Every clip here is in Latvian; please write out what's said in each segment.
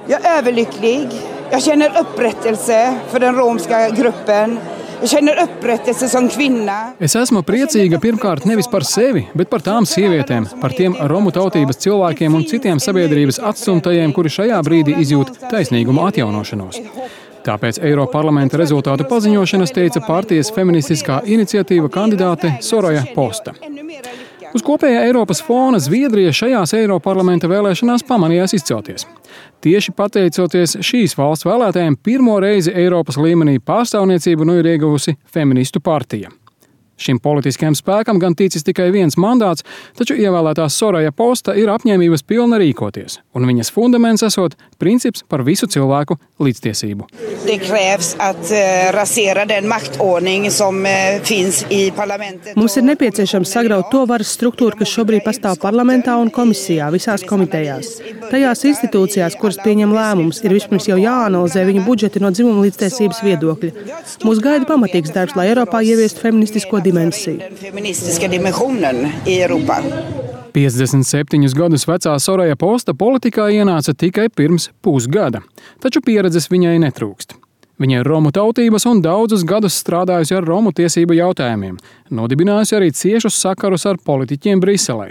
Jag är överlycklig. Jag känner upprättelse för den romska gruppen. Jag känner upprättelse som kvinna. Es esmu priecīga pirmkārt nevis par sevi, bet par tām sievietēm, par tiem romu tautības cilvēkiem un citiem sabiedrības atstumtajiem, kuri šajā brīdī izjūt taisnīguma atjaunošanos. Tāpēc Eiroparlamenta rezultātu paziņošanas teica partijas feministiskā iniciatīva kandidāte Soraya Posta. Uz kopējā Eiropas fona Zviedrija šajās Eiroparlamenta vēlēšanās pamanījās izcelties. Tieši pateicoties šīs valsts vēlētājiem, pirmo reizi Eiropas līmenī pārstāvniecību ir ieguvusi feministu partija. Šim politiskajam spēkam gan ticis tikai viens mandāts, taču ievēlētā Soraya Posta ir apņēmības pilna rīkoties, un viņas fundaments esot princips par visu cilvēku līdztiesību. Det krävs att rasera den maktordning som finns i parlamentet. Mums ir nepieciešams sagraut to varas struktūru, kas šobrīd pastāv parlamentā un komisijā, visās komitejās. Tajās institūcijās, kuras pieņem lēmumus, ir vispirms jau jāanalizē viņu budžeti no dzimuma līdztiesības viedokļa. Mūs gaida pamatīgs darbs, lai Eiropā ieviestu feministisko dimensiju. 57 gadus vecā Soraya Posta politikā ienāca tikai pirms pusgada, taču pieredzes viņai netrūkst. Viņa ir romu tautības un daudzus gadus strādājusi ar romu tiesību jautājumiem, nodibinājusi arī ciešus sakarus ar politiķiem Briselē.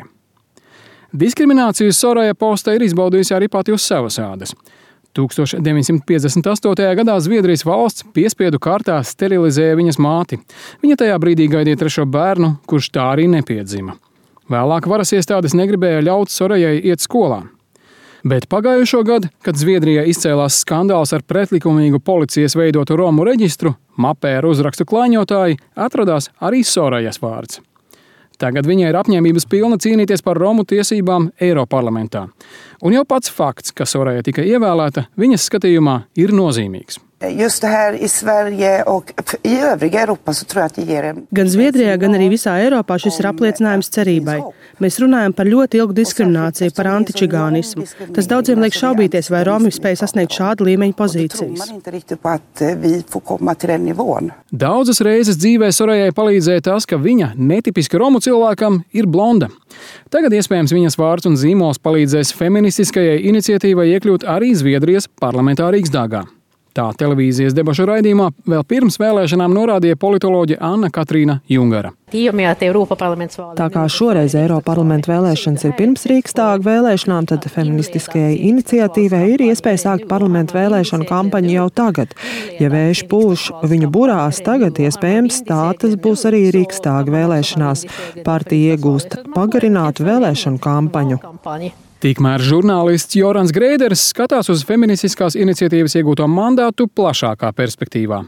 Diskrimināciju Soraya Posta ir izbaudījusi arī pati uz savas ādas. 1958. gadā Zviedrijas valsts piespiedu kārtā sterilizēja viņas māti. Viņa tajā brīdī gaidīja 3. bērnu, kurš tā arī nepiedzima. Vēlāk varas iestādes negribēja ļaut Sorajai iet skolā. Bet pagājušo gadu, kad Zviedrijā izcēlās skandāls ar pretlikumīgu policijas veidotu romu reģistru, mapē ar uzrakstu klāņotāji, atradās arī Sorajas vārds. Tagad viņai ir apņēmības pilna cīnīties par romu tiesībām Eiroparlamentā. Un jau pats fakts, ka Soraya tika ievēlēta, viņas skatījumā ir nozīmīgs. Just här i Sverige och i övriga Europa så tror jag att det ger Gan Zviedrijā, gan arī visā Eiropā šis ir apliecinājums cerībai. Mēs runājam par ļoti ilgu diskrimināciju, par antičigānismu. Tas daudziem liek šaubīties, vai Romi spēj sasniegt šādu līmeņu pozīcijas. Daudzas reizes dzīvē Sorajai palīdzēja tas, ka viņa, netipiski romu cilvēkam, ir blonda. Tagad iespējams viņas vārds un zīmols palīdzēs feministiskajai iniciatīvai iekļūt arī Zviedrijas parlamentā Rīgsdāgā. Tā televīzijas debašu raidījumā vēl pirms vēlēšanām norādīja politoloģe Anna Katrīna Jungara. Tā kā šoreiz Eiroparlamenta vēlēšanas ir pirms Rīgsdāga vēlēšanām, tad feministiskajai iniciatīvai ir iespēja sākt parlamenta vēlēšanu kampaņu jau tagad. Ja vējš pūš viņu burās tagad, iespējams, tas būs arī Rīgsdāga vēlēšanās. Partija iegūst pagarinātu vēlēšanu kampaņu. Tikmēr žurnālists Jorans Grēders skatās uz feministiskās iniciatīvas iegūto mandātu plašākā perspektīvā.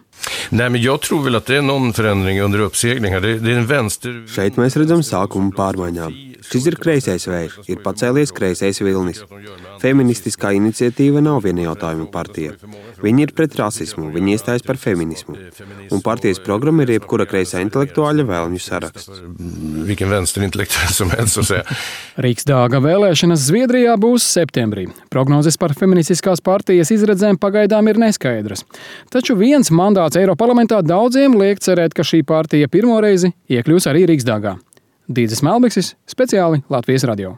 Šeit mēs redzam sākumu pārmaiņām. Šis ir kreisais vējš, ir pacēlies kreisais vilnis. Feministiskā iniciatīva nav viena jautājuma partija. Viņi ir pret rasismu, viņi iestājas par feminismu. Un partijas programma ir jebkura kreisā intelektuāļa vēlmju saraksts. Rīgsdāga vēlēšanas Zviedrijā būs septembrī. Prognozes par feministiskās partijas izredzēm pagaidām ir neskaidras. Taču viens mandāts Eiroparlamentā daudziem liek cerēt, ka šī partija pirmo reizi iekļūs arī Rīgsdāgā. Dīdzis Melbeksis, speciāli Latvijas radio.